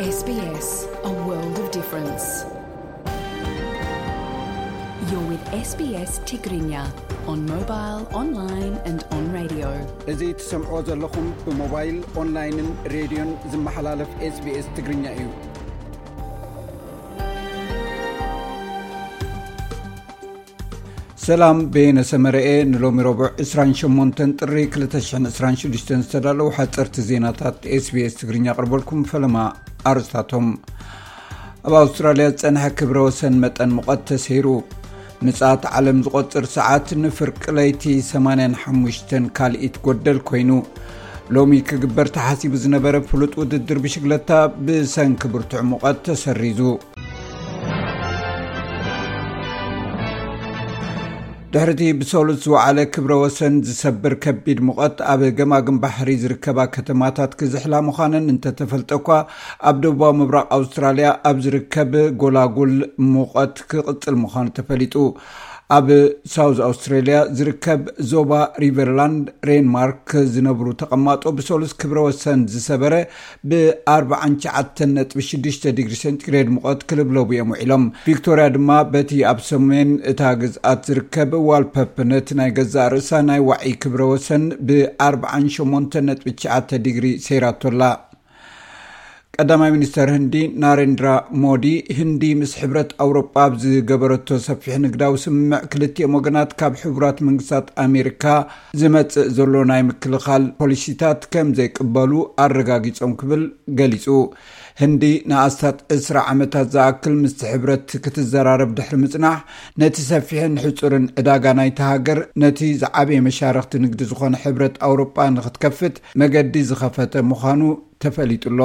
S B S, a world of difference. You're with S B S Tigrinya on mobile, online and on radio. እዚ ትሰምዕዎ ዘለኹም ብሞባይል፣ ኦንላይንን ሬድዮን ዝመሓላለፍ SBS ትግርኛ እዩ። ሰላም፣ በየነ ሰመረኤ። ንሎሚ ረቡዕ ዕስራን ሸሞንተን ጥሪ ክልተ ሽሕን ዕስራን ሽዱሽተን ዝተዳለዉ ሓፀርቲ ዜናታት SBS ትግርኛ ኣቕርበልኩም። ፈለማ ኣርእስታቶም። ኣብ ኣውስትራልያ ዝፀንሐ ክብረ ወሰን መጠን ሙቐት ተሰይሩ። ምጽኣት ዓለም ዝቖጽር ሰዓት ንፍርቂ ለይቲ ሰማንያን ሓሙሽተን ካልኢት ጎደል ኮይኑ። ሎሚ ክግበር ተሓሲቡ ዝነበረ ፍሉጥ ውድድር ብሽግለታ ብሰንኪ ብርቱዕ ሙቐት ተሰሪዙ። ድሕሪቲ ብሰሉስ ዝወዓለ ክብረ ወሰን ዝሰብር ከቢድ ሙቐት፣ ኣብ ገማግም ባሕሪ ዝርከባ ከተማታት ክዝሕላ ምዃነን እንተተፈልጠ እኳ፣ ኣብ ደቡባዊ ምብራቕ ኣውስትራልያ ኣብ ዝርከብ ጎላጉል ሙቐት ክቕጽል ምዃኑ ተፈሊጡ። ኣብ ሳውዝ ኣውስትራልያ ዝርከብ ዞባ ሪቨርላንድ ሬንማርክ ዝነብሩ ተቐማጦ ብሰሉስ ክብረ ወሰን ዝሰበረ ብ ኣርባዓን ትሽዓተን ነጥቢ ሽዱሽተ ዲግሪ ሴንቲግሬድ ሙቐት ክልብለቡ እዮም ውዒሎም። ቪክቶርያ ድማ በቲ ኣብ ሰሜን እታ ግዝኣት ዝርከብ ዋልፐፕ ነቲ ናይ ገዛእ ርእሳ ናይ ዋዒ ክብረ ወሰን ብ ኣርባዓን ሸሞንተን ነጥቢ ትሽዓተ ዲግሪ ሰይራቶ ኣላ። ቀዳማይ ሚኒስተር ህንዲ ናሬንድራ ሞዲ፣ ህንዲ ምስ ሕብረት ኣውሮጳ ኣብ ዝገበረቶ ሰፊሕ ንግዳዊ ስምምዕ፣ ክልቲኦም ወገናት ካብ ሕቡራት መንግስታት ኣሜሪካ ዝመጽእ ዘሎ ናይ ምክልኻል ፖሊሲታት ከም ዘይቅበሉ ኣረጋጊጾም ክብል ገሊጹ። ህንዲ ንኣስታት ዕስራ ዓመታት ዝኣክል ምስቲ ሕብረት ክትዘራረብ ድሕሪ ምጽናሕ፣ ነቲ ሰፊሕን ሕጹርን ዕዳጋ ናይታ ሃገር፣ ነቲ ዝዓበየ መሻርኽቲ ንግዲ ዝኾነ ሕብረት ኣውሮጳ ንክትከፍት መገዲ ዝኸፈተ ምዃኑ ተፈሊጡ ኣሎ።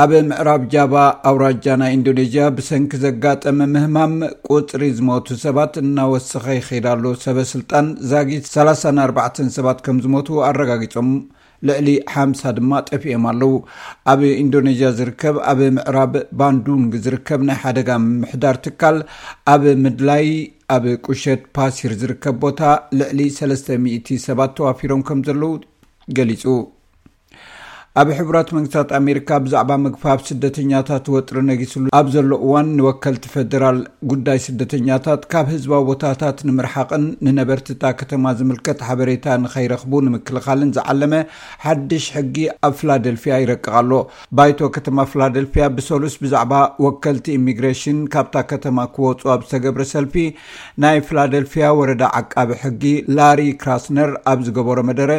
ኣብ ምዕራብ ጃባ ኣውራጃ ናይ ኢንዶኔዥያ ብሰንኪ ዘጋጠመ ምህማም ቁጽሪ ዝሞቱ ሰባት እናወሰኸ ይኸይድ ኣሎ። ሰበ ስልጣን ዛጊት ሰላሳን ኣርባዕተን ሰባት ከም ዝሞቱ ኣረጋጊጾም፣ ልዕሊ ሓምሳ ድማ ጠፊኦም ኣለዉ። ኣብ ኢንዶኔዥያ ዝርከብ፣ ኣብ ምዕራብ ባንዱንግ ዝርከብ ናይ ሓደጋ ምምሕዳር ትካል፣ ኣብ ምድላይ ኣብ ቁሸት ፓሲር ዝርከብ ቦታ ልዕሊ ሰለስተ ሚእቲ ሰባት ተዋፊሮም ከም ዘለዉ ገሊጹ። ኣብ ሕቡራት መንግስታት ኣሜሪካ ብዛዕባ ምግፋፍ ስደተኛታት ወጥሪ ነጊስሉ ኣብ ዘሎ እዋን፣ ንወከልቲ ፌደራል ጉዳይ ስደተኛታት ካብ ህዝባዊ ቦታታት ንምርሓቕን ንነበርቲ እታ ከተማ ዝምልከት ሓበሬታ ንኸይረኽቡ ንምክልኻልን ዝዓለመ ሓድሽ ሕጊ ኣብ ፊላደልፊያ ይረቅቕ ኣሎ። ባይቶ ከተማ ፊላደልፊያ ብሰሉስ ብዛዕባ ወከልቲ ኢሚግሬሽን ካብታ ከተማ ክወፁ ኣብ ዝተገብረ ሰልፊ፣ ናይ ፊላደልፊያ ወረዳ ዓቃቢ ሕጊ ላሪ ክራስነር ኣብ ዝገበሮ መደረ፣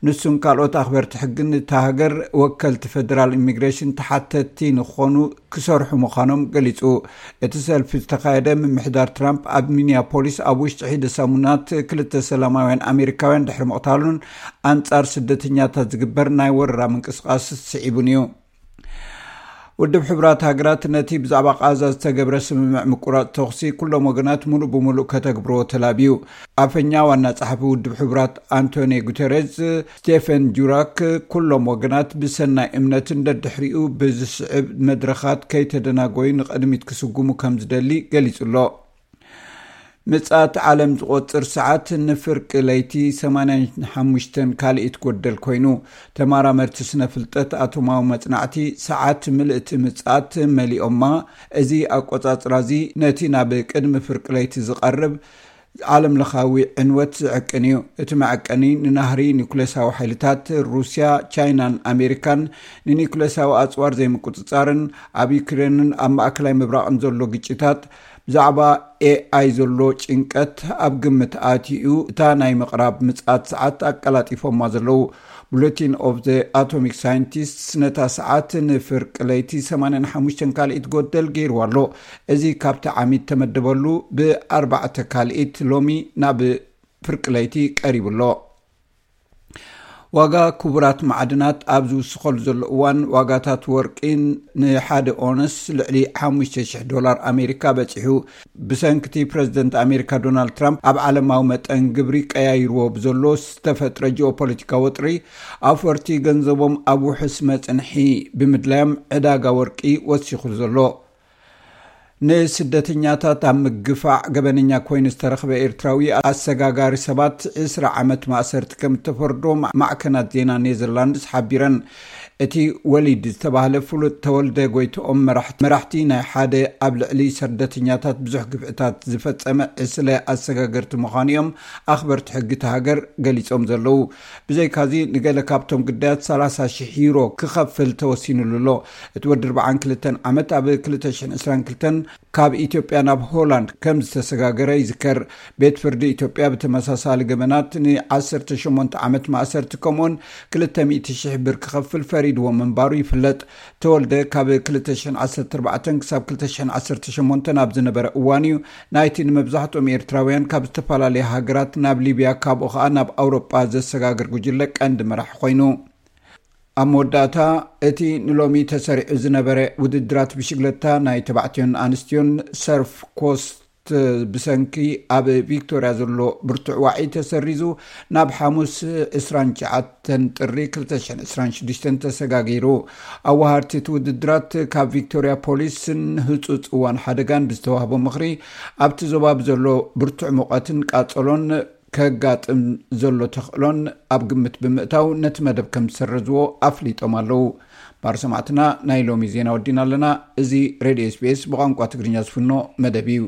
ንሱን ካልኦት ኣኽበርቲ ሕግን እታ ሃገር ወከልቲ ፌደራል ኢሚግሬሽን ተሓተትቲ ንክኾኑ ክሰርሑ ምዃኖም ገሊጹ። እቲ ሰልፊ ዝተኻየደ፣ ምምሕዳር ትራምፕ ኣብ ሚኒያፖሊስ ኣብ ውሽጢ ሒደ ሰሙናት ክልተ ሰላማውያን ኣሜሪካውያን ድሕሪ ምቕታሉን ኣንጻር ስደተኛታት ዝግበር ናይ ወረራ ምንቅስቓስ ስዒቡን እዩ። ውድብ ሕቡራት ሃገራት ነቲ ብዛዕባ ቃዛ ዝተገብረ ስምምዕ ምቁራጽ ተኹሲ ኩሎም ወገናት ሙሉእ ብሙሉእ ከተግብርዎ ተላብዩ። ኣፈኛ ዋና ጸሓፊ ውድብ ሕቡራት ኣንቶኒ ጉተሬዝ፣ ስቴፈን ጁራክ፣ ኩሎም ወገናት ብሰናይ እምነትን ደድሕሪኡ ብዝስዕብ መድረኻት ከይተደናጎዩ ንቕድሚት ክስጉሙ ከም ዝደሊ ገሊጹ ኣሎ። ምጽኣት ዓለም ዝቖጽር ሰዓት ንፍርቂ ለይቲ ሰማንያን ሓሙሽተን ካልኢት ጎደል ኮይኑ፣ ተመራመርቲ ስነ ፍልጠት ኣቶማዊ መጽናዕቲ ሰዓት ምልእቲ ምጽኣት መሊኦማ። እዚ ኣቆጻጽራ እዚ ነቲ ናብ ቅድሚ ፍርቂ ለይቲ ዝቐርብ ዓለም ለኻዊ ዕንወት ዝዕቅን እዩ። እቲ መዐቀኒ ንናህሪ ኒኩሌሳዊ ሓይልታት ሩስያ፣ ቻይናን ኣሜሪካን ንኒኩሌሳዊ ኣጽዋር ዘይምቁጽጻርን ኣብ ዩክሬንን ኣብ ማእከላይ ምብራቕን ዘሎ ግጭታት፣ ብዛዕባ ኤኣይ ዘሎ ጭንቀት ኣብ ግምት ኣትዩ፣ እታ ናይ ምቕራብ ምጽኣት ሰዓት ኣቀላጢፎማ ዘለዉ። ቡሌቲን ኦፍ ዘ ኣቶሚክ ሳይንቲስትስ ነታ ሰዓት ንፍርቂ ለይቲ ሰማንያን ሓሙሽተን ካልኢት ጎደል ገይርዋ ኣሎ። እዚ ካብቲ ዓሚት ተመደበሉ ብኣርባዕተ ካልኢት ሎሚ ናብ ፍርቂ ለይቲ ቀሪቡ ኣሎ። ዋጋ ክቡራት ማዕድናት ኣብ ዝውስኸሉ ዘሎ እዋን፣ ዋጋታት ወርቂ ንሓደ ኦንስ ልዕሊ ሓሙሽተ ሽሕ ዶላር ኣሜሪካ በጺሑ። ብሰንኪ እቲ ፕረዚደንት ኣሜሪካ ዶናልድ ትራምፕ ኣብ ዓለማዊ መጠን ግብሪ ቀያይርዎ ብዘሎ ዝተፈጥረ ጂኦፖለቲካዊ ወጥሪ፣ ኣውፈርቲ ገንዘቦም ኣብ ውሑስ መጽንሒ ብምድላዮም ዕዳጋ ወርቂ ወሲኹ ዘሎ። ንስደተኛታት ኣብ ምግፋዕ ገበነኛ ኮይኑ ዝተረኽበ ኤርትራዊ ኣሰጋጋሪ ሰባት ዕስራ ዓመት ማእሰርቲ ከም እተፈርዶ ማ-፣ ማዕከናት ዜና ኔዘርላንድስ ሓቢረን። እቲ ወሊድ ዝተባህለ ፍሉጥ ተወልደ ጎይትኦም መራሕቲ ናይ ሓደ ኣብ ልዕሊ ስደተኛታት ብዙሕ ግፍዕታት ዝፈጸመ ዕስለ ኣሰጋገርቲ ምዃኑ እዮም ኣኽበርቲ ሕጊ እታ ሃገር ገሊጾም ዘለዉ። ብዘይካዚ ንገለ ካብቶም ግዳያት ሰላሳ ሽሕ ዩሮ ክኸፍል ተወሲኑሉ ኣሎ። እቲ ወዲ ኣርባዓን ክልተን ዓመት ኣብ ክልተ ሽሕን ዕስራን ክልተን ካብ ኢትዮጵያ ናብ ሆላንድ ከም ዝተሰጋገረ ይዝከር። ቤት ፍርዲ ኢትዮጵያ ብተመሳሳሊ ገበናት ን ዓሰርተ ሸሞንተ ዓመት ማእሰርቲ ከምኡውን ክልተ ሚእቲ ሽሕ ብር ክኸፍል ፈሪድዎ ምንባሩ ይፍለጥ። ተወልደ ካብ ክልተ ሽሕን ዓሰርተ ኣርባዕተን ክሳብ ክልተ ሽሕን ዓሰርተ ሸሞንተን ኣብ ዝነበረ እዋን እዩ ናይቲ ንመብዛሕትኦም ኤርትራውያን ካብ ዝተፈላለያ ሃገራት ናብ ሊብያ፣ ካብኡ ኸኣ ናብ ኣውሮጳ ዘሰጋግር ጉጅለ ቀንዲ መራሒ ኮይኑ። ኣብ መወዳእታ፣ እቲ ንሎሚ ተሰሪዑ ዝነበረ ውድድራት ብሽግለታ ናይ ተባዕትዮን ኣንስትዮን ሰርፍ ኮስት ብሰንኪ ኣብ ቪክቶርያ ዘሎ ብርቱዕ ዋዒ ተሰሪዙ ናብ ሓሙስ ዕስራን ትሽዓተን ጥሪ ክልተ ሽሕን ዕስራን ሽዱሽተን ተሰጋጊሩ። ኣዋሃርቲ እቲ ውድድራት ካብ ቪክቶርያ ፖሊስን ህጹጽ እዋን ሓደጋን ብዝተዋህቦ ምኽሪ፣ ኣብቲ ዞባ ብዘሎ ብርቱዕ ሙቐትን ቃጸሎን ከጋጥም ዘሎ ተኽእሎን ኣብ ግምት ብምእታው ነቲ መደብ ከም ዝሰረዝዎ ኣፍሊጦም ኣለዉ። ማር ሰማዕትና፣ ናይ ሎሚ ዜና ወዲና ኣለና። እዚ ሬድዮ ኤስቢኤስ ብቋንቋ ትግርኛ ዝፍኖ መደብ እዩ።